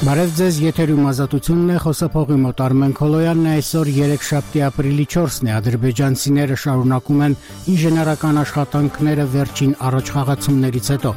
Բարև ձեզ, եթերում ազատությունն է, խոսափողի մոտ Արմեն Քոլոյանն է, այսօր երեքշաբթի ապրիլի 4-ն է, ադրբեջանցիները շարունակում են ինժեներական աշխատանքները վերջին առաջխաղացումներից հետո։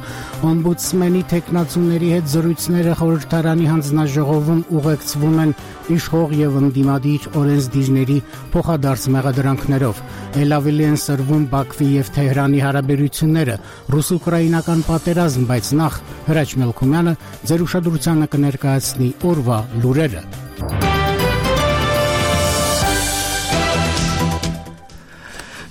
Օմբուդսմենի թեկնածուների հետ զրույցները խորհրդարանի հանձնաժողովում ուղեկցվում են իշխող եւ ընդդիմադիր օրենսդիրների փոխադարձ մեղադրանքներով։ Էլ ավելի են սրվում Բաքվի եւ Թեհրանի հարաբերությունները, ռուս-ուկրաինական պատերազմ, բայց նախ Հրաչ Մելքումյանը ձեր ուշադրությանը կներկայացնի օրվա լուրերը։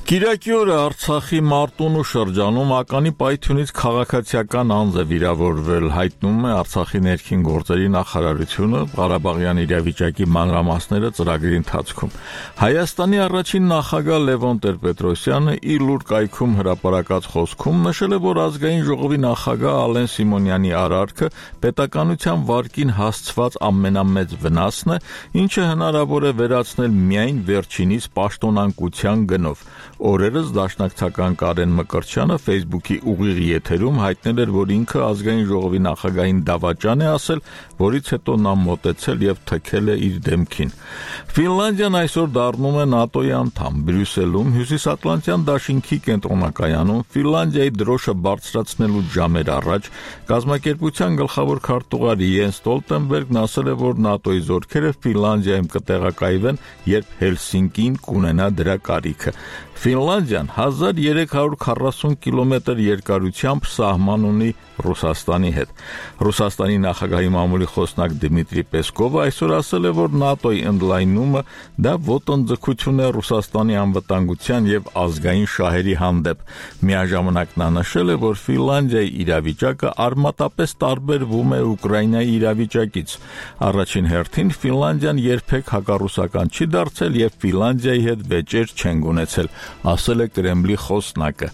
Կիրակի օրը Արցախի Մարտունու շրջանում ականի պայթյունից քաղաքացիական անձ է վիրավորվել, հայտնում է Արցախի ներքին գործերի նախարարությունը, Ղարաբաղյան իրավիճակի մանրամասները ծրագրի ընթացքում։ Հայաստանի առաջին նախագահ Լևոն Տեր-Պետրոսյանը իր լուր կայքում հրապարակած խոսքում նշել է, որ ազգային ժողովի նախագահ Ալեն Սիմոնյանի արարքը պետականության վարկին հասցված ամենամեծ վնասն է, ինչը հնարավոր է վերացնել միայն վերջինիս պաշտոնանկության գնով։ Օրերս դաշնակցական Կարեն Մկրտչյանը Facebook-ի ուղիղ եթերում հայտնել էր, որ ինքը ազգային ժողովի նախագահին դավաճան է ասել, որից հետո նա մոտեցել եւ թքել է իր դեմքին։ Ֆինլանդիան այսօր դառնում է ՆԱՏՕ-ի անդամ։ Բրյուսելում Հյուսիսատլանտյան դաշինքի կենտրոնակայանում Ֆինլանդիայի դրոշը բարձրացնելու ժամեր առաջ կազմակերպության գլխավոր քարտուղար Յենս Ստոլտենբերգն ասել է, որ ՆԱՏՕ-ի զորքերը Ֆինլանդիայում կտեղակայվեն, երբ Հելսինկին կունենա դրա կարիքը։ Ֆինլանդիան 1340 կիլոմետր երկարությամբ սահման ունի Ռուսաստանի հետ։ Ռուսաստանի նախագահի մամուլի խոսնակ Դմիտրի Պեսկովը այսօր ասել է, որ ՆԱՏՕ-ի ընդլայնումը դա ոտնձգություն է Ռուսաստանի անվտանգության եւ ազգային շահերի հանդեպ։ Միաժամանակ նա նշել է, որ Ֆինլանդիայի իրավիճակը արմատապես տարբերվում է Ուկրաինայի իրավիճակից։ Առաջին հերթին Ֆինլանդիան երբեք հակառուսական չի դարձել եւ Ֆինլանդիայի հետ վեճեր չեն ունեցել, ասել է Կրեմլի խոսնակը։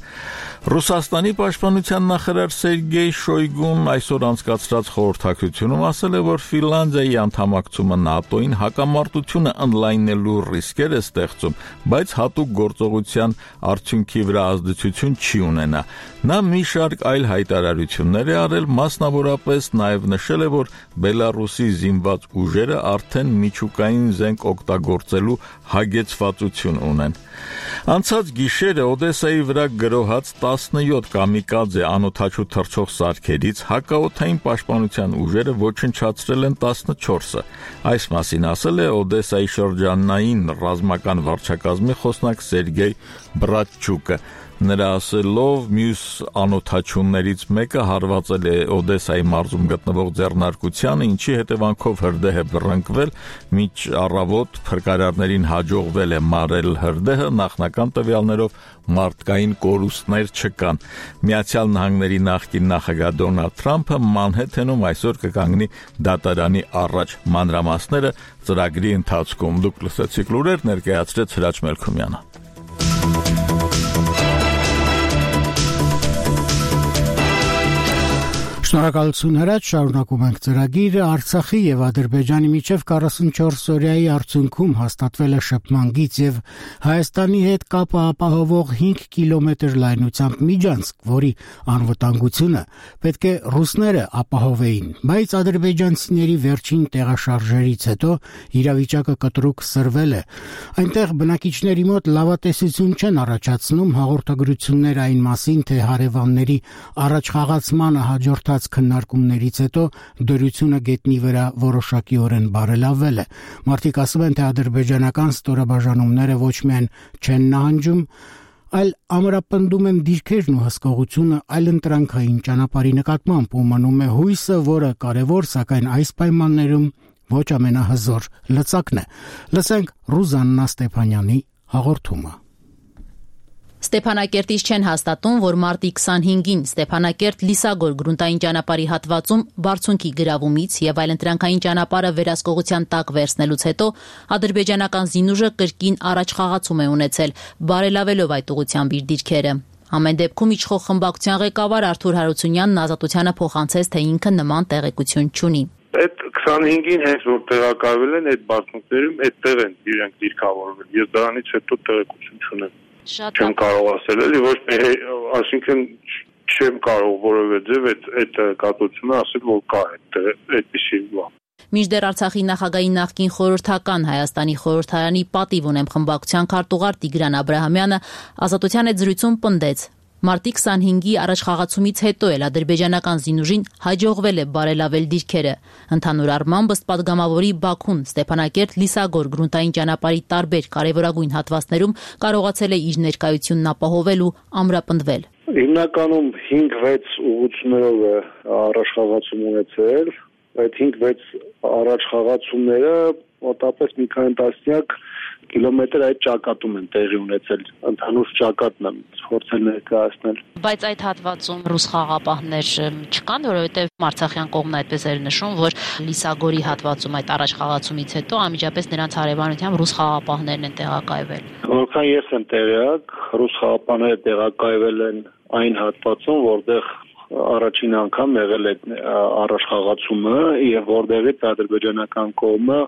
Ռուսաստանի պաշտպանության նախարար Սերգեյ Շոյգուն այսօր անցկացրած խորհրդակցությունում ասել է, որ Ֆինլանդիայի անդամակցումը ՆԱՏՕ-ին հակամարտությունը ընդլայնելու ռիսկեր է ստեղծում, բայց հատուկ գործողության արդյունքի վրա ազդեցություն չի ունենա։ Նա մի շարք այլ հայտարարություններ է արել, մասնավորապես նաև նշել է, որ Բելարուսի զինված ուժերը արդեն միջուկային զենք օգտագործելու հագեցվածություն ունեն։ Անցած գիշերը Օդեսայի վրա գրոհած 17 կամիկադզե անօդաչու թռչող սարքերից հակաօդային պաշտպանության ուժերը ոչնչացրել են 14-ը։ Այս մասին ասել է Օդեսայի շրջանային ռազմական վարչակազմի խոսնակ Սերգեյ Բրատչուկը։ Նրա ասելով, մյուս անօդաչուներից մեկը հարվածել է Օդեսայի մարզում գտնվող ձեռնարկությանը, ինչի հետևանքով հրդեհ է բռնկվել, մինչ առավոտ փրկարարներին հաջողվել է մարել հրդեհը, նախնական տվյալներով մարդկային կորուստներ չկան։ Միացյալ Նահանգների նախկին նախագահ Դոնալդ Թրամփը Մանհեթենում այսօր կկանգնի դատարանի առաջ։ Մանրամասները ծրագրի ընթացքում։ Դուք լսեցիք լուրեր, ներկայացրեց Հրաչ Մելքումյանը։ Շնորհակալություն Հրաչ, շարունակում ենք ծրագիրը։ Արցախի եւ Ադրբեջանի միջև 44 օրյայի արդյունքում հաստատվել է շփման գիծ եւ Հայաստանի հետ կապը ապահովող 5 կիլոմետր լայնությամբ միջանցք, որի անվտանգությունը պետք է ռուսները ապահովեին, բայց ադրբեջանցիների վերջին տեղաշարժերից հետո իրավիճակը կտրուկ սրվել է։ Այնտեղ բնակիչների մոտ լավատեսություն չեն առաջացնում հաղորդագրություններ այն մասին, թե հարևանների առաջխաղացմանը հաջորդած քննարկումներից հետո դրությունը գետնի վրա որոշակիորեն բարելավվել է։ Մարդիկ ասում են, թե ադրբեջանական ստորաբաժանումները ոչ միայն չեն նահանջում, այլ ամրապնդում են դիրքերն ու հսկողությունը այլընտրանքային ճանապարհի նկատմամբ ու մնում է հույսը, որը կարևոր, սակայն այս պայմաններում ոչ ամենահզոր լծակն է։ Լսենք Ռուզաննա Ստեփանյանի հաղորդումը։ Ստեփանակերտից չեն հաստատում, որ մարտի 25-ին Ստեփանակերտ-Լիսագոր գրունտային ճանապարհի հատվածում բարձունքի գրավումից եւ այլընտրանքային ճանապարհը վերահսկողության տակ վերցնելուց հետո ադրբեջանական զինուժը կրկին առաջխաղացում է ունեցել, բարելավելով այդ ուղղությամբ իր դիրքերը։ Ամեն դեպքում իշխող խմբակցության ղեկավար Արթուր Հարությունյանն Ազատությանը փոխանցեց, թե ինքը նման տեղեկություն չունի։ Այդ 25-ին հենց որ տեղակայվել են այդ բարձունքներում, այդտեղ են իրենք դիրքավորվել։ Ես դրանից հետո տեղեկություն չունեմ։ Չեմ կարող ասել, էլի ոչ այսինքն չեմ կարող որևէ ձև այդ կատությունը ասել, որ կա այդտեղ այդպիսի բան։ Մինչդեռ Արցախի նախագահի նախկին խորհրդական Հայաստանի խորհրդարանի պատիվ ունեմ խմբակցության քարտուղար Տիգրան Աբրահամյանը Ազատության հետ զրույցում պնդեց. Մարտի 25-ի առաջխաղացումից հետո էլ ադրբեջանական զինուժին հաջողվել է բարելավել դիրքերը։ Ընդհանուր առմամբ ըստ պատգամավորի Բաքուն Ստեփանակերտ-Լիսագոր գրունտային ճանապարհի տարբեր կարևորագույն հատվածներում կարողացել է իր ներկայությունն ապահովել ու ամրապնդվել։ Հիմնականում 5-6 ուղղություններով է առաջխաղացում ունեցել, այդ 5-6 առաջխաղացումները մոտավորապես մի քանի տասնյակ կիլոմետր այդ ճակատում են տեղի ունեցել, ընդհանուր ճակատն եմ փորձել ներկայացնել։ Բայց այդ հատվածում ռուս խաղապահներ չկան, որովհետև Արցախյան կողմն այդպես էր նշում, որ Լիսագորի հատվածում այդ առաջխաղացումից հետո անմիջապես նրանց հարևանությամբ ռուս խաղապահներն են տեղակայվել։ Որքան ես եմ տեղյակ, ռուս խաղապահները տեղակայվել են այն հատվածում, որտեղ առաջին անգամ եղել է առաջխաղացումը եւ որտեղից ադրբեջանական կողմը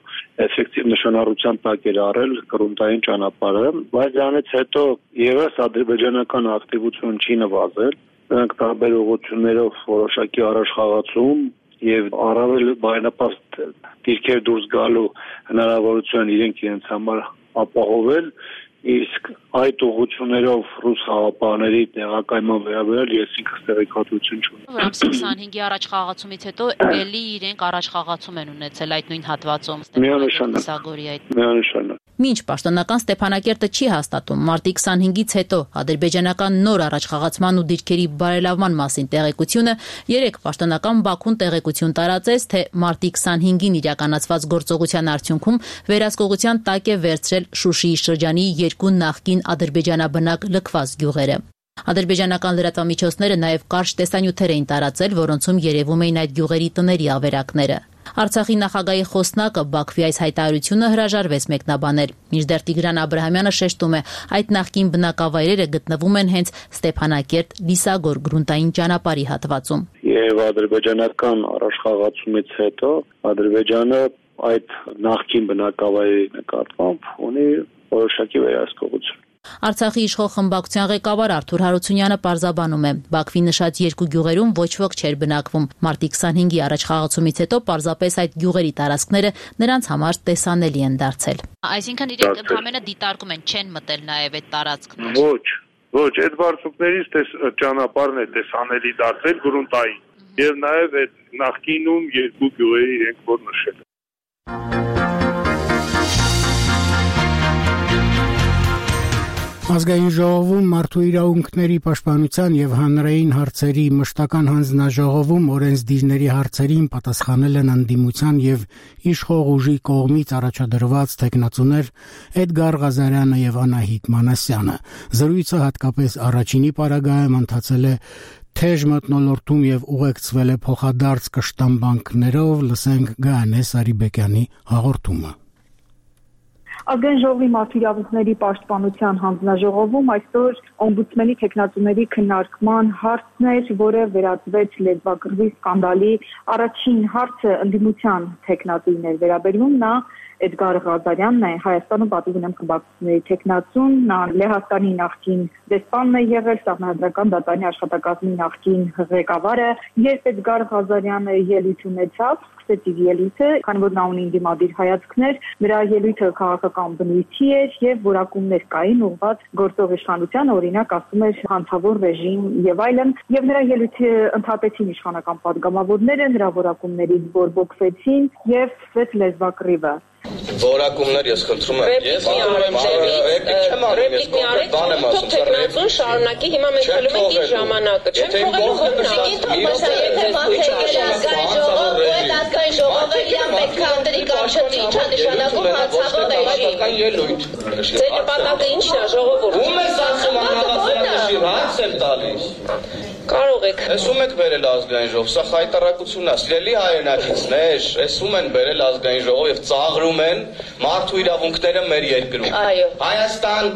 էֆեկտիվ նշանառության տակ էր առել գրունտային ճանապարհը, բայց դրանից հետո եւս ադրբեջանական ակտիվություն չի նվազել, նրանք տարբեր ուղղություններով որոշակի առաջխաղացում եւ առավել բարենպաստ դիրքեր դուրս գալու հնարավորություն իրենց համար ապահովել, իսկ այդ ուղղություններով ռուս խաղապահների տեղակայման վերաբերյալ ես ինքս տեղեկատվություն չունեմ։ Ամսի 25-ի առաջխաղացումից հետո ելի իրենք առաջխաղացում են ունեցել այդ նույն հատվածում Միանշանակ։ Մինչ պաշտոնական Ստեփանակերտը չի հաստատում մարտի 25-ից հետո ադրբեջանական նոր առաջխաղացման ու դիրքերի բարելավման մասին տեղեկությունը, երեք պաշտոնական Բաքուն տեղեկություն տարածեց, թե մարտի 25-ին իրականացված գործողության արդյունքում վերահսկողության տակ է վերցրել Շուշիի շրջանի երկու նախկին ադրբեջանաբնակ լքված գյուղերը։ Ադրբեջանական լրատվամիջոցները նաև կարճ տեսանյութեր էին տարածել, որոնցում երևում էին այդ գյուղերի տների ավերակները։ Արցախի նախագահի խոսնակը Բաքվի այս հայտարարությունը հրաժարվեց մեկնաբանել։ Մինչդեռ Տիգրան Աբրահամյանը շեշտում է, այդ նախկին բնակավայրերը գտնվում են հենց Ստեփանակերտ-Լիսագոր գրունտային ճանապարհի հատվածում։ Եվ ադրբեջանական առաջխաղացումից հետո Ադրբեջանը այդ նախկին բնակավայրերի նկատմամբ ունի որոշակի վերահսկողություն։ Արցախի իշխող խմբակցության ղեկավար Արթուր Հարությունյանը պարզաբանում է. Բաքվի նշած երկու գյուղերում ոչ ոք չէր բնակվում։ Մարտի 25-ի առաջխաղացումից հետո պարզապես այդ գյուղերի տարածքները նրանց համար տեսանելի են դարձել։ Այսինքն իրենք ընդհանրապես դիտարկում են, չեն մտել նաև այդ տարածքներ։ Ոչ, այդ բարձունքներից ճանապարհն է տեսանելի դարձել գրունտային։ Եվ նաև այդ նախկինում երկու գյուղերի իրենք որ նշել։ Ազգային ժողովում մարդու իրավունքների պաշտպանության եւ հանրային հարցերի մշտական հանձնաժողովում օրենսդիրների հարցերին պատասխանել են ընդդիմության եւ իշխող ուժի կողմից առաջադրված տեխնացուներ Էդգար Ղազարյանը եւ Անահիտ Մանասյանը։ Զրույցը հատկապես առաջինի պարագայում ընթացել է թեժ մթնոլորտում եւ ուղեկցվել է փոխադարձ կշտամբանքներով, լսենք Գայանե Սարիբեկյանի հաղորդումը։ Ազգային ժողովի մարդու իրավունքների պաշտպանության հանձնաժողովում այսօր օմբուդսմենի տեխնացուների քննարկման հարցն էր, որը վերածվեց լեզվակռվի սկանդալի առաջին հարցը ընդդիմության տեխնատուին էր վերաբերում, նա Էդգար Ղազարյանն է, Հայաստանում պատիվ ունեմ խմբակցությունների տեխնացուն, նա Լեհաստանի նախկին դեսպանն է եղել, Սահմանադրական դատարանի աշխատակազմի նախկին ղեկավարը, երբ Էդգար Ղազարյանը ելույթ ունեցավ, սկսեց ելույթը, քանի որ նա ունի դիմադիր հայացքներ, նրա ելույթը քաղաքական բնույթի էր եւ որակումներ կային ուղղված գործող իշխանության, օրինակ ասում էր հանցավոր ռեժիմ եւ այլն, եւ նրա ելույթը ընդհատեցին իշխանական падգամավորները, նրա որակումներից բորբոքվեցին եւ սկսեց լեզվակռիվը։ Որակումներ ես խնդրում եմ։ Ես ռեպլիկ մի արեք, թող տեխնացուն շարունակի, հիմա մենք խլում ենք իր ժամանակը։ Չեմ թողելու ազգային ժողովը իր պետք է ընտրի կամ չընտրի, ինչա նշանակում հանցավոր ռեժիմ։ Ձեր նպատակը ի՞նչն է, ժողովուրդ։ Ում ես ասում անհավասարների հարց եմ տալիս։ Կարող եք։ Էս ում եք բերել ազգային ժողով, սա խայտարակությունն է, սիրելի հայրենակիցներ, էս ում են բերել ազգային ժողով եւ ծաղրում են մարդու իրավունքները մեր երկրում։ Այո։ Հայաստան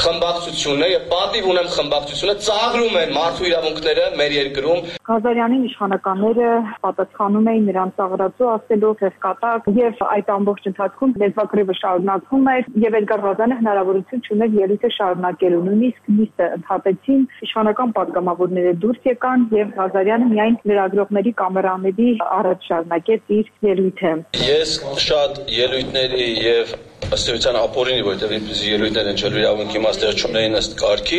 խմբակցությունը եւ պատիվ ունեմ խմբակցությունը ծաղրում են մարդու իրավունքները մեր երկրում։ Ղազարյանին իշխանականները պատասխանում էին նրան ծաղրածու ասելով հսկատակ եւ այդ ամբողջ ընթացքում լեզվակռիվը շարունակվում էր եւ Էդգար Ղազարյանը հնարավորություն չուներ ելույթը շարունակելու, նույնիսկ նիստը ընդհատեցին, իշխանական պատգամավորները դուրս եկան եւ Ղազարյանը միայն լրագրողների կամերաների առաջ շարունակեց իր ելույթը։ Ես շատ ելույթների եւ ըստ էության ապօրինի, որտեղ իբրիսի ելույթներ են չելու իրավունքի մասները չունեին ըստ կարգի,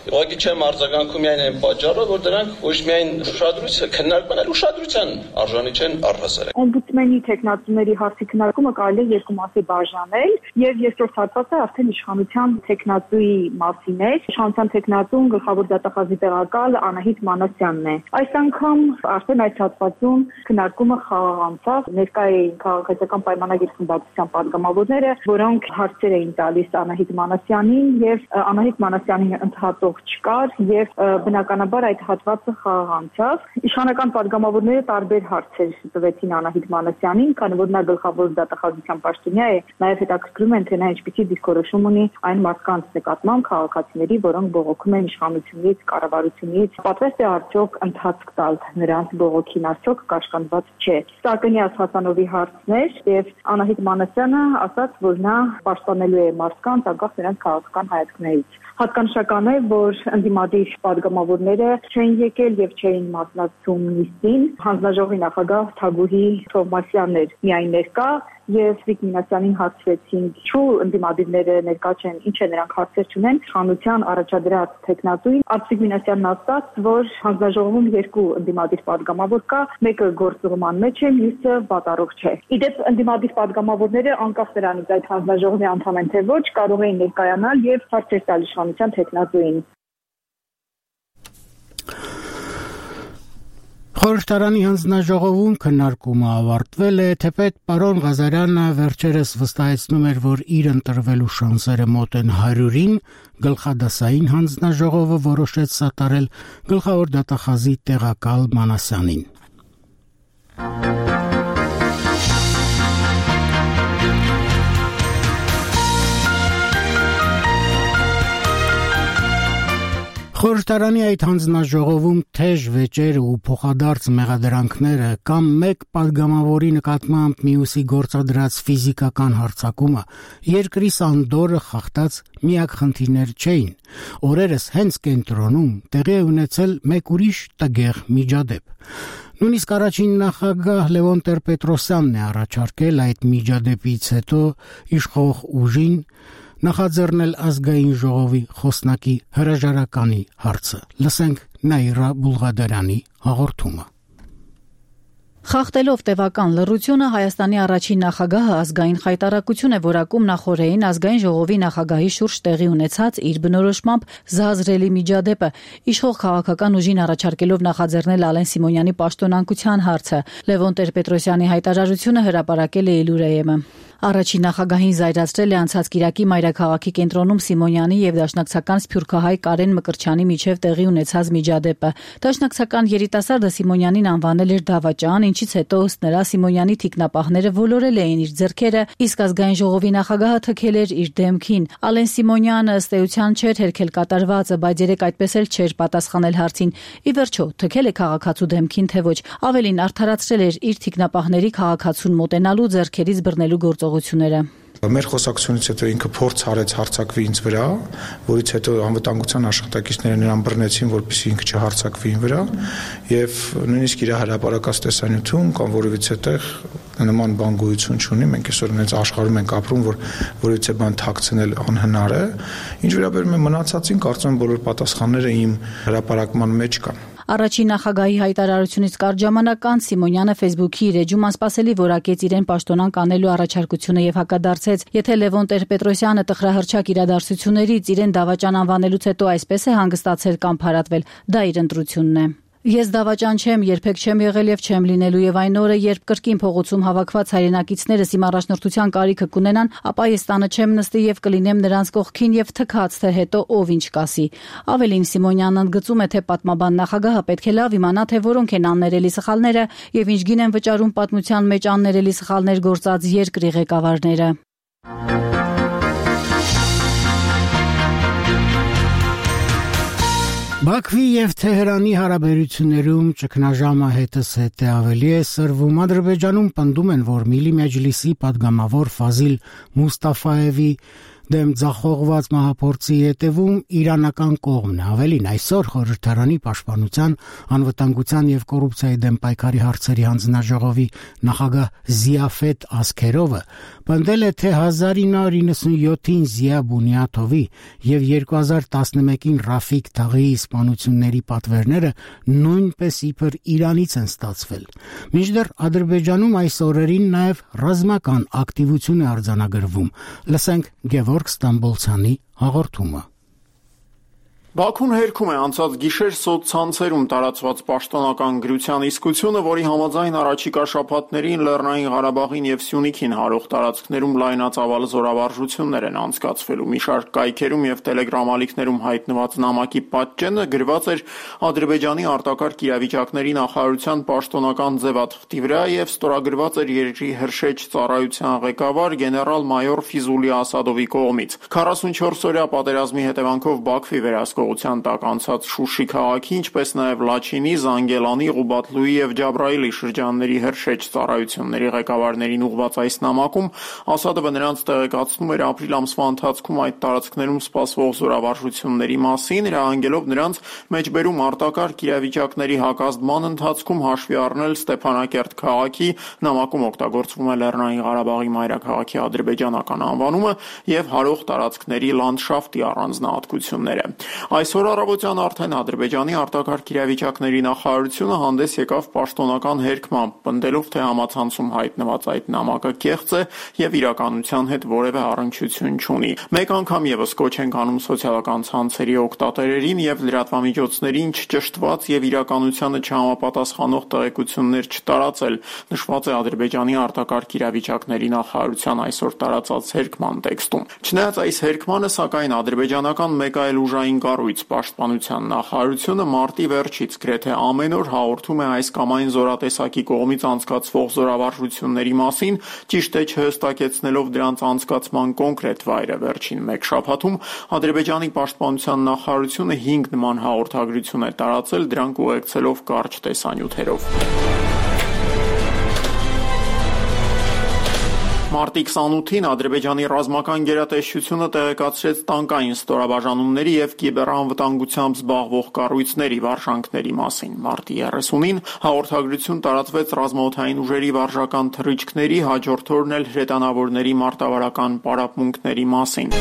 ուղղակի չեմ արձագանքում միայն այն պատճառով, որ դրանք ոչ միայն ուշադրության քննարկման, այլ ուշադրության արժանի չեն առհասարակ։ Օմբուդսմենի տեխնատուների հարցի քննարկումը կարելի է երկու մասի բաժանել, եւ երկրորդ հատվածը արդեն իշխանության տեխնատուի մասին է։ Իշխանության տեխնատուն գլխավոր դատախազի տեղակալ Անահիտ Մանասյանն է։ Այս անգամ արդեն այս հատվածում քննարկումը խաղաղ անցավ, ներկա էին քաղաքացիական պայմանագիր խմբակցության պատգամավորները, որոնք հարցեր էին տալիս Անահիտ Մանասյանին եւ Անահիտ Մանասյանին ընդհատող չկար եւ բնականաբար այդ հատվածը խաղաղ անցավ։ Իշխանական պատգամավորները տարբեր հարցեր տվեցին Անահիտ Մանասյանին, քանի որ նա գլխավոր դատախազության պաշտոնյա է, նաեւ հետաքրքրում են թե նա ինչպիսի դիսկորոշում ունի այն մարդկանց նկատմամբ քաղաքացիների, որոնք բողոքում են իշխանությունից, կառավարությունից, պատվեստ է արդյոք ընթացք տալ նրանց բողոքին, արդյոք կաշկանդված չէ։ Սակենյաս Հասանովի հարցներ եւ Անահիտ Մանասյանը ասաց, որ նա պաշտպանելու է մարդկանց անկախ նրանց քաղաքական հայացքներից։ Հատկանշական է, որ ընդդիմադիր պատգամավորները չէին եկել եւ չէին մասնակցում նիստին։ Հանձնաժողովի նախագահ Թագուհի Թովմասյանն էր միայն ներկա եւ Սվիկ Մինասյանին հարցրեցին, ինչու ընդդիմադիրները ներկա չեն, ինչ է նրանք հարցեր չունեն, իշխանության առաջադրած տեխնատուին Սվիկ Մինասյանն ասաց, որ հանձնաժողովում երկու ընդդիմադիր պատգամավոր կա, մեկը գործուղման մեջ է, մյուսը վատառող չէ։ Իդեպ ընդդիմադիր պատգամավորները անկախ նրանից այդ հանձնաժողովի անդամ են թե ոչ, կարող էին ներկայանալ եւ հարցեր տալ իշխանության տեխնատուին։ Խորհրդարանի հանձնաժողովում քննարկումը ավարտվել է, թեպետ պարոն Ղազարյանը վերջերս վստահեցնում էր, որ իր ընտրվելու շանսերը մոտ են 100-ին, գլխադասային հանձնաժողովը որոշեց սատարել գլխավոր դատախազի տեղակալ Մանասյանին։ Խորհրդարանի այդ հանձնաժողովում թեժ վեճերը ու փոխադարձ մեղադրանքները կամ մեկ պատգամավորի նկատմամբ մյուսի գործադրած ֆիզիկական հարձակումը երկրի սանդորը խախտած միակ խնդիրներ չէին։ Օրերս հենց կենտրոնում տեղի է ունեցել մեկ ուրիշ տգեղ միջադեպ։ Նույնիսկ առաջին նախագահ Լևոն Տեր-Պետրոսյանն է առաջարկել այդ միջադեպից հետո իշխող ուժին նախաձեռնել ազգային ժողովի խոսնակի հրաժարականի հարցը։ Լսենք Նաիրա Բուլղադարյանի հաղորդումը։ Խախտելով տևական լռությունը Հայաստանի առաջին նախագահը ազգային խայտարակություն է որակում նախորդին ազգային ժողովի նախագահի շուրջ տեղի ունեցած իր բնորոշմամբ զազրելի միջադեպը, իշխող քաղաքական ուժին առաջարկելով նախաձեռնել Ալեն Սիմոնյանի պաշտոնանկության հարցը։ Լևոն Տեր-Պետրոսյանի հայտարարությունը հրապարակել է Իլուրեյեմը։ Առաջին նախագահին զայրացրել է անցած կիրակի մայրաքաղաքի կենտրոնում Սիմոնյանի եւ դաշնակցական սփյուռքահայ Կարեն Մկրտչյանի միջև տեղի ունեցած միջադեպը։ Դաշնակցական երիտասարդը Սիմոնյանին անվանել էր դավաճան, ինչից հետո ըստ նրա Սիմոնյանի թիկնապահները ոլորել էին իր ձեռքերը, իսկ ազգային ժողովի նախագահը թքել էր իր դեմքին։ Ալեն Սիմոնյանը ըստ էության չէր հերքել կատարվածը, բայց երեք այդպես էլ չէր պատասխանել հարցին։ Ի վերջո, թքել է քաղաքացու դեմքին թե ոչ։ Ավելին արդարացրել էր իր թիկնապահների քաղաքացուն մոտենալու ձեռքերից բռնելու գործողությունները։ Մեր խոսակցությունից հետո ինքը փորձ արեց հարձակվի ինձ վրա, որից հետո անվտանգության աշխատակիցները նրան բռնեցին, որպեսզի ինքը չհարձակվի ինձ վրա, եւ նույնիսկ իր հրապարակած տեսանյութում կամ որևիցե տեղ նման բան գոյություն չունի, մենք այսօր այնպես աշխարհում ենք ապրում, որ որևիցե բան թաքցնել անհնար է։ Ինչ վերաբերում է մնացածին, կարծում եմ բոլոր պատասխանները իմ հրապարակման մեջ կան։ Առաջին նախագահի հայտարարությունից կարճ ժամանակ անց Սիմոնյանը Facebook-ի իր էջում անսպասելի որակեց իրեն պաշտոնանկ անելու առաջարկությունը եւ հակադարձեց. Եթե Լևոն Տեր-Պետրոսյանը տխրահռչակ իրադարձություններից իրեն դավաճան անվանելուց հետո այսպես է հանգստացել կամ փարատվել, դա իր ընտրությունն է։ Ես դավաճան չեմ, երբեք չեմ եղել եւ չեմ լինելու եւ այն օրը, երբ կրկին փողոցում հավաքված հայրենակիցներս իմ առաջնորդության կարիքը կունենան, ապա ես տանը չեմ նստի եւ կլինեմ նրանց կողքին եւ թքած թե հետո ով ինչ կասի։ Ավելին Սիմոնյանն ընդգծում է, թե պատմաբան նախագահը պետք է լավ իմանա, թե որոնք են աններելի սխալները եւ ինչ գին են վճարում պատմության մեջ աններելի սխալներ գործած երկրի ղեկավարները։ Բաքվի եւ Թեհրանի հարաբերություններում ճգնաժամը հետս հետ ավելի է սրվում։ Ադրբեջանում պնդում են, որ Միլի Մեջլիսի падգամավոր Ֆազիլ Մուստաֆայևի դեմ ձախողված մահափորձի հետևում իրանական կողմն է։ Ավելին, այսօր Խորհրդարանի պաշտպանության, անվտանգության եւ կոռուպցիայի դեմ պայքարի հարցերի հանձնաժողովի նախագահ Զիաֆետ Ասքերովը պնդել է, թե 1997-ին Զիա Բունյաթովի եւ 2011-ին Ռաֆիկ Թաղիի սպանությունների պատվերները նույնպես իբր Իրանից են ստացվել։ Մինչդեռ Ադրբեջանում այս օրերին նաեւ ռազմական ակտիվություն է արձանագրվում։ Լսենք Գևորգ Ստամբոլցյանի հաղորդումը։ Բաքուն հերքում է անցած գիշեր սոցցանցերում տարածված պաշտոնական գրության իսկությունը, որի համաձայն առաջիկա շաբաթներին Լեռնային Ղարաբաղին եւ Սյունիքին հարող տարածքներում լայնածավալ զորավարժություններ են անցկացվելու։ Մի շարք կայքերում եւ տելեգրամ ալիքներում հայտնված նամակի պատճենը գրված էր Ադրբեջանի արտակարգ իրավիճակների նախարարության պաշտոնական ձևաթղթի վրա եւ ստորագրված էր երկրի հրշեջ ծառայության ղեկավար գեներալ-մայոր Ֆիզուլի Ասադովի կողմից։ 44-օրյա պատերազմի հետևանքով Բաքվի վերահսկողության տակ անցած Շուշի քաղաքի, ինչպես նաև Լաչինի, Զանգելանի, Ղուբատլուի եւ Ջաբրայիլի շրջանների հրշեջ ծառայությունների ղեկավարներին ուղղված այս նամակում Ասադովը նրանց տեղեկացնում էր ապրիլ ամսվա ընթացքում այդ տարածքներում սպասվող զորավարժությունների մասին, հրահանգելով նրանց մեջբերում արտակարգ իրավիճակների հակազդման ընթացքում հաշվի առնել Ստեփանակերտ քաղաքի, նամակում օգտագործվում է Լեռնային Ղարաբաղի մայրաքաղաքի ադրբեջանական անվանումը եւ հարող տարածքների լանդշաֆտի առանձնահատկությունները։ Այսօր առավոտյան արդեն Ադրբեջանի արտակարգ իրավիճակների նախարարությունը հանդես եկավ պաշտոնական հերքմամբ, պնդելով, թե համացանցում հայտնված այդ նամակը կեղծ է եւ իրականության հետ որևէ առնչություն չունի։ Մեկ անգամ եւս կոչ ենք անում սոցիալական ցանցերի օգտատերերին եւ լրատվամիջոցներին չճշտված եւ իրականությանը չհամապատասխանող տեղեկություններ չտարածել, նշված է Ադրբեջանի արտակարգ իրավիճակների նախարարության այսօր տարածած հերքման տեքստում։ Չնայած այս հերքմանը, սակայն ադրբեջանական մեկ այլ ուժային կառույց պաշտպանության նախարարությունը մարտի վերջից գրեթե ամեն օր հաղորդում է այս կամ այն զորատեսակի կողմից անցկացվող զորավարժությունների մասին, ճիշտ է չհստակեցնելով դրանց անցկացման կոնկրետ վայրը։ Վերջին մեկ շաբաթում Ադրբեջանի պաշտպանության նախարարությունը 5 նման հաղորդագրություն է տարածել, դրանք ուղեկցելով կարճ տեսանյութերով։ Մարտի 28-ին Ադրբեջանի ռազմական գերատեսչությունը տեղեկացրեց տանկային ստորաբաժանումների եւ կիբերանվտանգությամբ զբաղվող կառույցների վարժանքների մասին։ Մարտի 30-ին հաղորդագրություն տարածվեց ռազմաօդային ուժերի վարժական թռիչքների, հաջորդ օրն էլ հրետանավորների մարտավարական պարապմունքների մասին։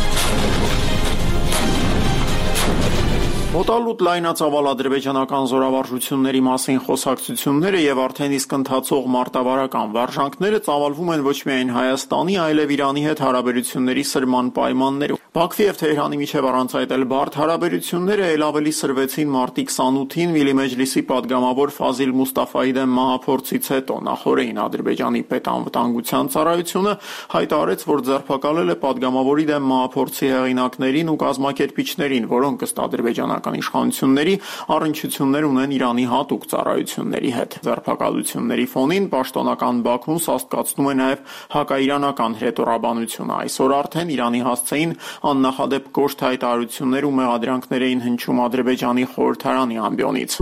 Մոտալուտ լայնածավալ ադրբեջանական զորավարժությունների մասին խոսակցությունները եւ արդեն իսկ ընթացող մարտավարական վարժանքները ծավալվում են ոչ միայն Հայաստանի, այլև Իրանի հետ հարաբերությունների սրման պայմաններում։ Բաքվի եւ Թեհրանի միջև առանց այդ էլ բարդ հարաբերությունները ել ավելի սրվեցին մարտի 28-ին Միլի Մեջլիսի падգամավոր Ֆազիլ Մուստաֆայի դեմ մահափորձից հետո։ Նախորդին Ադրբեջանի պետանվտանգության ծառայությունը հայտարարեց, որ ձերբակալել է падգամավորի դեմ մահափորձի հեղինակներին ու կազմակերպիչներին, որոնք ըստ ադրբեջանական իշխանությունների առնչություններ ունեն Իրանի հատուկ ծառայությունների հետ։ Ձերբակալությունների ֆոնին պաշտոնական Բաքուն սաստկացնում է նաև հակաիրանական հրետորաբանությունը։ Այսօր արդեն Իրանի հասցեին աննախադեպ կոշտ հայտարարություններ ու մեղադրանքներ էին հնչում Ադրբեջանի խորհրդարանի ամբիոնից։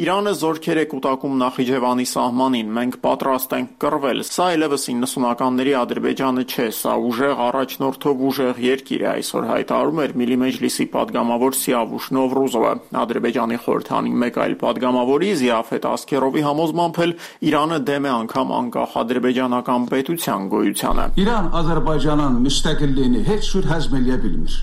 Իրանը զորքեր է կուտակում Նախիջևանի սահմանին, մենք պատրաստ ենք կռվել։ Սա այլևս 90-ականների Ադրբեջանը չէ, սա ուժեղ առաջնորդով ուժեղ երկիր է, այսօր հայտարարում էր Միլի Մեջլիսի падգամավոր Սիավուշ Նովրուզովը։ Ադրբեջանի խորհրդանի մեկ այլ падգամավորի Զիաֆետ Ասքերովի համոզմամբ էլ Իրանը դեմ է անգամ անկախ ադրբեջանական պետության գոյությանը։ İran Azərbaycanın müstəqilliyini heç cür həzm eləyə bilmir.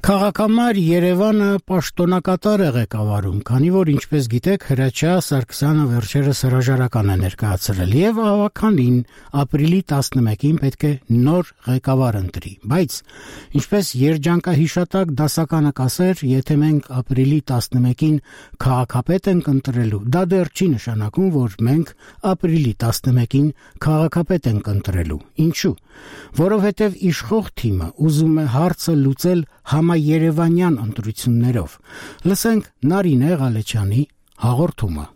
Քաղաքամար Երևանը պաշտոնակատար է ղեկավարում, քանի որ ինչպես գիտեք, Հրաչյա Սարգսյանը վերջերս հրաժարական է ներկայացրել եւ ավականին ապրիլի 11-ին պետք է նոր ղեկավար ընտրի։ Բայց ինչպես երջանկահիշատակ դասականը կասեր, եթե մենք ապրիլի 11-ին քաղաքապետ ենք ընտրելու, դա դեռ չի նշանակում, որ մենք ապրիլի 11-ին քաղաքապետ ենք ընտրելու։ Ինչու՞։ Որովհետեւ իշխող թիմը ուզում է հարցը լուծել համաերևանյան ընտրություններով։ Լսենք Նարինե Ղալեչյանի հաղորդումը։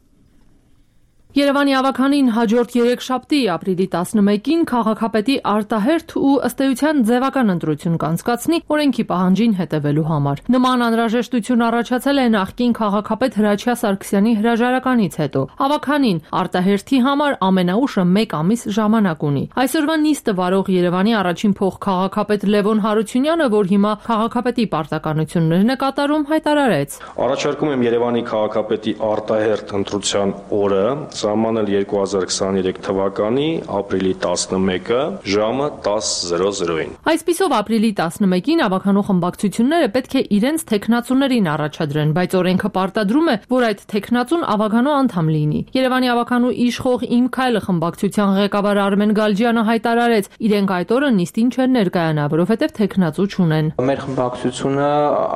Երևանի ավականին հաջորդ 3 շաբթի ապրիլի 11-ին քաղաքապետի արտահերթ ու ըստ էության ձևական ընտրություն կանցկացնի օրենքի պահանջին հետևելու համար։ Նման անհրաժեշտություն առաջացել է նախկին քաղաքապետ Հրաչյա Սարգսյանի հրաժարականից հետո։ Ավականին արտահերթի համար ամենաուշը 1 ամիս ժամանակ ունի։ Այսօրվա նիստը վարող Երևանի առաջին փոխքաղաքապետ Լևոն Հարությունյանը, որ հիմա քաղաքապետի պարտականություններն է կատարում, հայտարարեց. Առաջարկում եմ Երևանի քաղաքապետի արտահերթ ընտրության օրը սահմանել 2023 թվականի ապրիլի 11-ը ժամը 10:00-ին։ Այսպիսով ապրիլի 11-ին ավականու խմբակցությունները պետք է իրենց թեկնածուներին առաջադրեն, բայց օրենքը պարտադրում է, որ այդ թեկնածուն ավականու անդամ լինի։ Երևանի ավականու իշխող Իմ քայլը խմբակցության ղեկավար Արմեն Գալջյանը հայտարարեց, իրենք այդ օրը նիստին չեն ներկայանա, որովհետև թեկնածու չունեն։ Մեր խմբակցությունը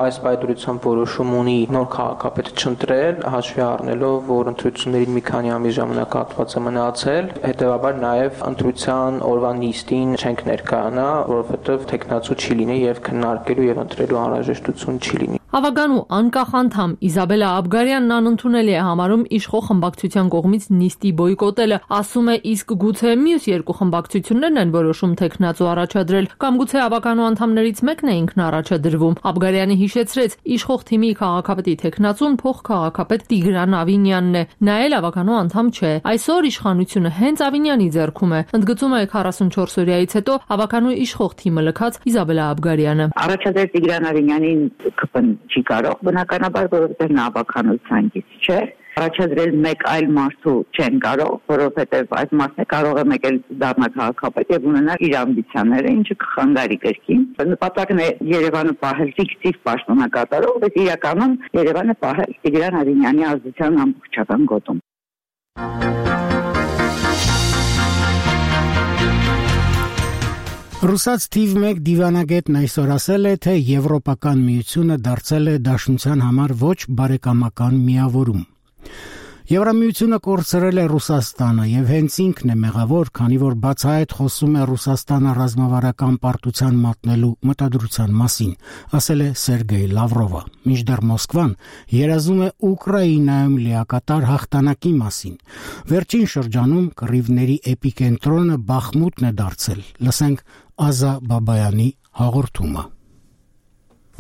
այս պայմանությամբ որոշում ունի նոր քաղաքապետ չընտրել, հաշվի առնելով, որ ընտրություններին մի քանի ամիս ժամանակահատված է մնացել, հետևաբար նաև ընտրության օրվա նիստին չենք ներկայանա, որովհետև թեկնածու չի լինի եւ քննարկելու եւ ընտրելու անհրաժեշտություն չի լինի։ Ավականու անկախ անդամ Իզաբելա Աբգարյանն անընդունելի է համարում իշխող խմբակցության կողմից նիստի բոյկոտելը, ասում է, իսկ գուցե մյուս երկու խմբակցություններն են որոշում թեկնածու առաջադրել, կամ գուցե ավականու անդամներից մեկն է ինքն առաջադրվում։ Աբգարյանը հիշեցրեց, իշխող թիմի քաղաքապետի թեկնածուն փոխքաղաքապետ Տիգրան Ավինյանն է, նա էլ ավականու անդամ չէ։ Այսօր իշխանությունը հենց Ավինյանի ձեռքում է, ընդգծում է 44-օրյայից հետո ավականու իշխող թիմը լքած Իզաբելա Աբգարյանը։ Առաջադրել Տիգրան Ավինյանին ԿՊ-ն չի կարող, բնականաբար, որովհետև նա ավականության գիծ չէ։ Առաջադրել մեկ այլ մարդու չեն կարող, որովհետև այդ մարդը կարող է մեկ էլ դառնալ քաղաքապետ եւ ունենալ իր ամբիցիաները, ինչը կխանգարի կրկին։ Նպատակն է Երևանը պահել ֆիկտիվ պաշտոնակատարող, բայց իրականում Երևանը պահել Տիգրան Ավինյանի ազդեցության ամբողջական գոտում։ Ռուսաց թիվ 1 դիվանագետն այսօր ասել է, թե Եվրոպական միությունը դարձել է Դաշնության համար ոչ բարեկամական միավորում։ Եվրամիությունը կորցրել է Ռուսաստանը եւ հենց ինքն է մեղավոր, քանի որ բացահայտ խոսում է Ռուսաստանը ռազմավարական պարտության մատնելու մտադրության մասին, ասել է Սերգեյ Լավրովը։ Մինչդեռ Մոսկվան երազում է Ուկրաինայում լիակատար հաղթանակի մասին։ Վերջին շրջանում կռիվների էպիկենտրոնը Բախմուտն է դարձել։ Լսենք Ազա Բաբայանի հաղորդումը։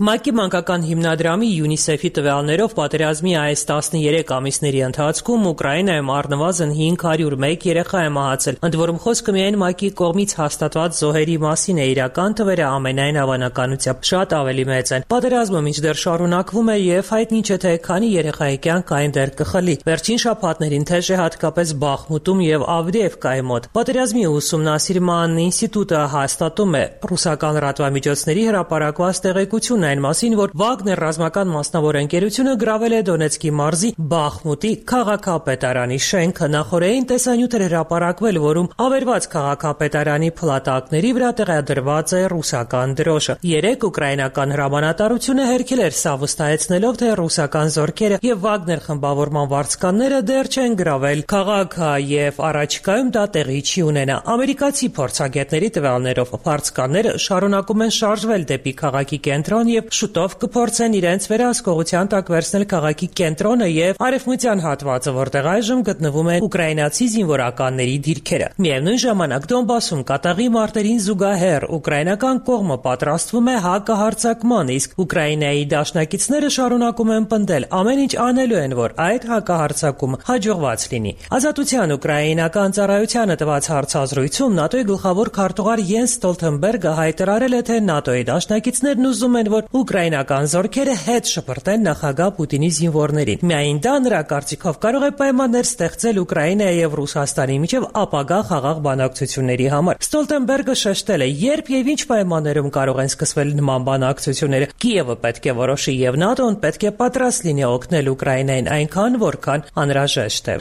ՄԱԿ-ի մանկական հիմնադրամի ՅՈՒՆԻՍԵՖ-ի տվյալներով պատերազմի այս 13 ամիսների ընթացքում Ուկրաինայում առնվազն 501 երեխա է մահացել, ընդ որում խոսքը միայն ՄԱԿ-ի կողմից հաստատված զոհերի մասին է, իրական թվերը ամենայն հավանականությամբ շատ ավելի մեծ են։ Պատերազմը մինչդեռ շարունակվում է եւ հայտնի չէ թե քանի երեխայի կյանք այնտեղ կխլի։ Վերջին շաբաթներին թեժ է հատկապես Բախմուտում եւ Ավդիևկայի մոտ։ Պատերազմի ուսումնասիրման ինստիտուտը հաստատում է ռուսական լրատվամիջոցների հրապարակված տեղեկություն այն մասին, որ Վագներ ռազմական մասնավոր ընկերությունը գրավել է Դոնեցկի մարզի Բախմուտի քաղաքապետարանի շենքը։ Նախորդին տեսանյութ էր հրապարակվել, որում ավերված քաղաքապետարանի փլատակների վրա տեղադրված է ռուսական դրոշը։ 3 ուկրաինական հրամանատարությունը հերքել էր սա, վստահեցնելով, թե ռուսական զորքերը եւ Վագներ խմբավորման վարձկանները դեռ չեն գրավել քաղաքը եւ առաջիկայում դա տեղի չի ունենա։ Ամերիկացի փորձագետների տվյալներով վարձկանները շարունակում են շարժվել դեպի քաղաքի կենտրոն եւ շուտով կփորձեն իրենց վերահսկողության տակ վերցնել քաղաքի կենտրոնը եւ արևմտյան հատվածը, որտեղ այժմ գտնվում են ուկրաինացի զինվորականների դիրքերը։ Միևնույն ժամանակ Դոնբասում կատաղի մարտերին զուգահեռ ուկրաինական կողմը պատրաստվում է հակահարձակման, իսկ Ուկրաինայի դաշնակիցները շարունակում են պնդել, ամեն ինչ անելու են, որ այդ հակահարձակումը հաջողված լինի։ Ազատության ուկրաինական ծառայությանը տված հարցազրույցում ՆԱՏՕ-ի գլխավոր քարտուղար Յենս Ստոլթենբերգը հայտարարել է, թե ՆԱՏՕ-ի դաշնակիցներն ուզում են, որ ուկրաինական զորքերը հետ շպրտեն նախագահ Պուտինի զինվորներին։ Միայն դա նրա կարծիքով կարող է պայմաններ ստեղծել Ուկրաինայի եւ Ռուսաստանի միջև ապագա խաղաղ բանակցությունների համար։ Ստոլտենբերգը շեշտել է, երբ եւ ինչ պայմաններում կարող են սկսվել նման բանակցությունները։ Կիևը պետք է որոշի եւ ՆԱՏՕ-ն պետք է պատրաստ լինի օգնել Ուկրաինային այնքան, որքան անհրաժեշտ է։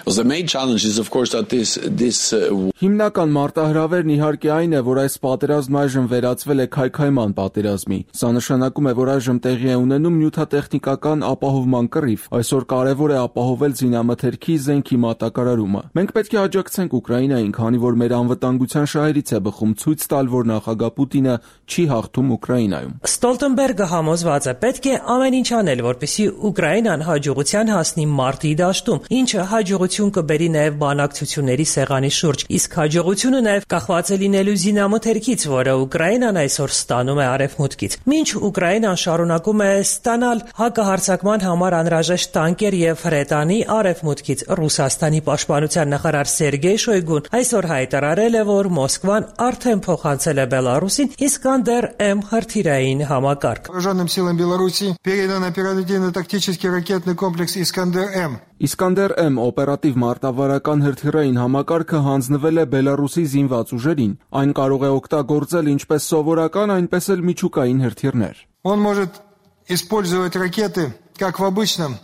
Հիմնական մարտահրավերն իհարկե այն է, որ այս պատերազմն այժմ վերածվել է քայքայման պատերազմի։ Սա նշանակում է, է, որ այժմ տեղի է ունենում նյութատեխնիկական ապահովման կռիվ։ Այսօր կարևոր է ապահովել զինամթերքի զենքի մատակարարումը։ Մենք պետք է աջակցենք Ուկրաինային, քանի որ մեր անվտանգության շահերից է բխում ցույց տալ, որ նախագահ Պուտինը չի հաղթում Ուկրաինայում։ Ստոլտենբերգը համոզված է, պետք է ամեն ինչ անել, որպեսզի Ուկրաինան հաջողության հասնի մարտի դաշտում, ինչը հաջողություն կբերի նաև բանակցությունների սեղանի շուրջ։ Իսկ հաջողությունը նաև կախված է լինելու զինամթերքից, որը Ուկրաինան այսօր ստանում է արևմուտքից։ Մինչ Ուկրաինան շարունակում է ստանալ հակահարձակման համար անհրաժեշտ տանկեր եւ հրետանի արևմուտքից, Ռուսաստանի պաշտպանության նախարար Սերգեյ Շոյգուն այսօր հայտարարել է, որ Մոսկվան արդեն փոխանցել է Բելարուսին Искандер-М հրթիռային համակարգ։ Вооруженным силам Беларуси передан оперативно-тактический ракетный комплекс Искандер-М։ Искандер-М օպերատիվ մարտավարական հրթիռային համակարգը հանձնվել է Բելարուսի զինված ուժերին։ Այն կարող է օգտագործել ինչպես սովորական, այնպես էլ միջուկային հրթիռներ։ Он может использовать ракеты как в обычном,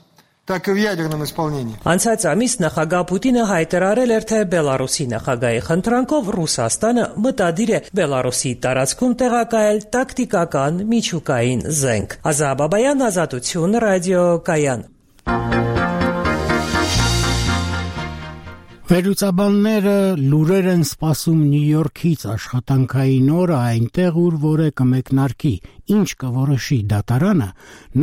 так и в ядерном исполнении։ Անցած ամիս նախագահ Պուտինը հայտարարել էր, թե Բելարուսի նախագահի խնդրանքով Ռուսաստանը մտադիր է Բելարուսի տարածքում տեղակայել տակտիկական միջուկային զենք։ Ազա Բաբայան, Ազատություն, ռադիոկայան։ Վերլուծաբանները լուրեր են սպասում Նյու Յորքից աշխատանքային օրը այնտեղ, ուր որը կմեկնարկի, ինչ կորոշի դատարանը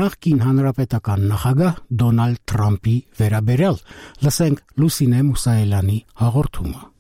նախկին հանրապետական նախագահ Դոնալդ Թրամփի վերաբերյալ։ Լսենք Լուսինե Մուսայելյանի հաղորդումը։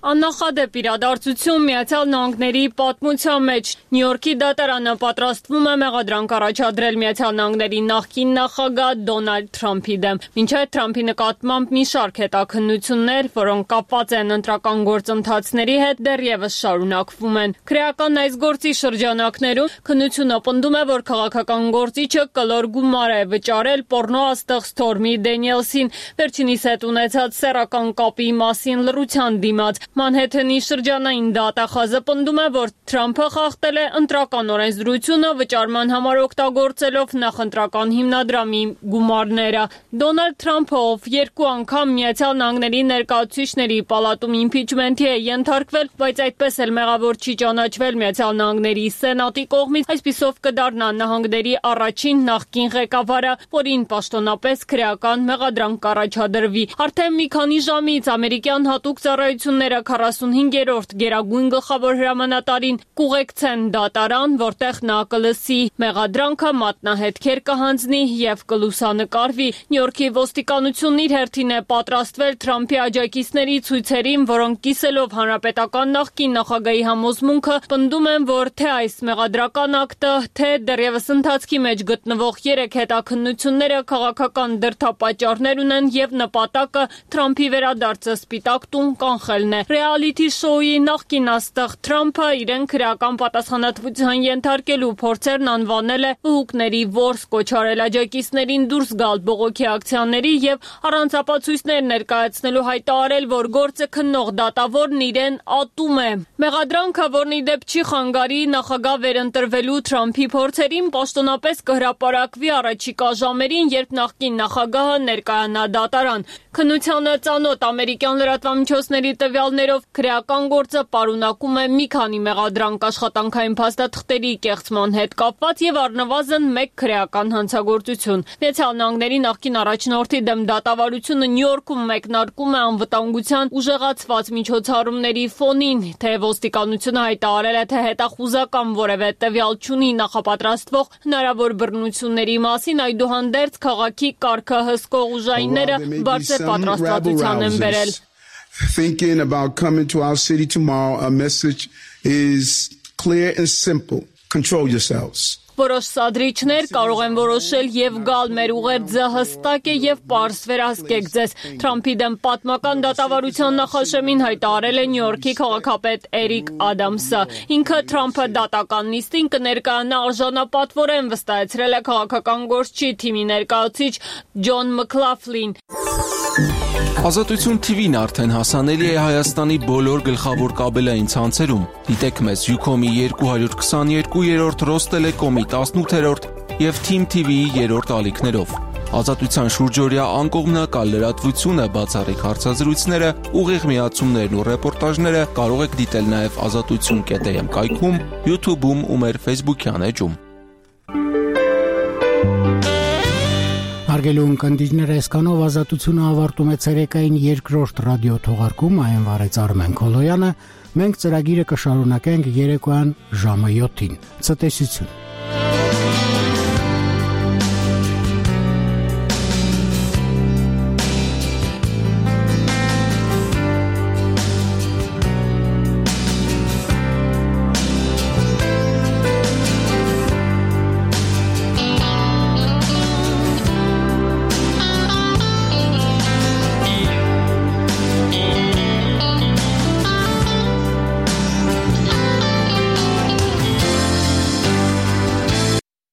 Աննախադեպ իրադարձություն Միացյալ Նահանգների պատմության մեջ Նյու Յորքի դատարանը պատրաստվում է մեղադրանք առաջադրել Միացյալ Նահանգների նախկին նախագահ Դոնալդ Թրամփի դեմ։ Մինչև Թրամփի նկատմամբ մի շարք հետաքննություններ, որոնք կապված են ընտրական գործընթացների հետ, դեռևս շարունակվում են։ Քրեական այս գործի շրջանակներում քննությունը պնդում է, որ քաղաքական գործիչը կլոր գումար է վճարել պոռնո աստղ Սթորմի Դենիելսին, վերջինիս հետ ունեցած սեռական կապի մասին լռության դիմաց։ Մանհեթենի շրջանային դատախազը պնդում է, որ Թրամփը խախտել է ընտրական օրենսդրությունը վճարման համար օգտագործելով նախընտրական հիմնադրամի գումարները։ Դոնալդ Թրամփը, ով երկու անգամ Միացյալ Նահանգների ներկայացուցիչների պալատում իմպիչմենթի է ենթարկվել, բայց այդպես էլ մեղավոր չի ճանաչվել Միացյալ Նահանգների Սենատի կողմից, այսպիսով կդառնա նահանգների առաջին նախկին ղեկավարը, որին պաշտոնապես քրեական մեղադրանք կառաջադրվի։ Արդեն մի քանի ժամից ամերիկյան հատուկ ծառայությունները 45-րդ գերագույն գլխավոր հրամանատարին կուղեկցեն դատարան, որտեղ նա կլսի մեղադրանքը, մատնահետքեր կհանձնի եւ կլուսանկարվի։ Նյու Յորքի ոստիկանությունն իր հերթին է պատրաստվել Թրամփի աջակիցների ցույցերին, որոնք կիսելով հանրապետական նախկին նախագահի համոզմունքը պնդում են, որ թե այս մեղադրական ակտը, թե դեռևս ընթացքի մեջ գտնվող 3 հետաքննությունները քաղաքական դրդապատճառներ ունեն եւ նպատակը Թրամփի վերադարձը Սպիտակ տուն կանխելն է։ Ռեալիթի շոուի նախկին աստղ Թրամփը իրեն քրեական պատասխանատվության ենթարկելու փորձերն անվանել է վհուկների որս, կոչարել աջակիցներին դուրս գալ բողոքի ակցիաների եւ առանց ապացույցներ ներկայացնելու հայտարարել, որ գործը քննող դատավորն իրեն ատում է։ Մեղադրանքը, որն ի դեպ չի խանգարի նախագահ վերընտրվելու Թրամփի փորձերին, պաշտոնապես կհրապարակվի առաջիկա ժամերին, երբ նախկին նախագահը ներկայանա դատարան։ Քննությանը ծանոթ ամերիկյան լրատվամիջոցների տվյալներով քրեական գործը պարունակում է մի քանի մեղադրանք աշխատանքային փաստաթղթերի կեղծման հետ կապված եւ առնվազն 1 քրեական հանցագործություն։ Միացյալ Նահանգների նախկին առաջնորդի դեմ դատավարությունը Նյու Յորքում մեկնարկում է անվտանգության ուժեղացված միջոցառումների ֆոնին, թե ոստիկանությունը հայտարարել է, թե հետախուզական որևէ տվյալ չունի նախապատրաստվող հնարավոր բռնությունների մասին, այդուհանդերձ քաղաքի կարգը հսկող ուժայինները բարձր պատրաստվածության են բերել։ Thinking about coming to our city tomorrow, a message is clear and simple. Control yourselves. Որոշ սադրիչներ կարող են որոշել եւ գալ մեր ուղերձը հստակ է եւ պարզ վերահսկեք ձեզ։ Թրամփի դեմ պատմական դատավարության նախաշեմին հայտարարել է Նյու Յորքի քաղաքապետ Էրիկ Ադամսը։ Ինքը Թրամփը դատական նիստին կներկայանա արժանապատվորեն, վստահեցրել է քաղաքական գործչի թիմի ներկայացուցիչ Ջոն Մքլաֆլին։ Ազատություն TV-ն արդեն հասանելի է Հայաստանի բոլոր գլխավոր կաբելային ցանցերում։ Դիտեք մեզ Ucom-ի 222-րդ, Ռոստելեկոմի 18-րդ եւ Team TV-ի 3-րդ ալիքներով։ Ազատության շուրջօրյա անկողմնակալ լրատվությունը, բացառիկ հարցազրույցները, ուղիղ միացումներն ու ռեպորտաժները կարող եք դիտել նաեւ azatutsun.am կայքում, YouTube-ում ու մեր Facebook-յան էջում։ Հարգելի ունկնդիրներ, այսքանով ազատությունը ավարտում է ցերեկային երկրորդ ռադիո թողարկումը, այն վարեց Արմեն Քոլոյանը։ Մենք ծրագիրը կշարունակենք երեկոյան ժամը 7-ին։ Ցտեսություն։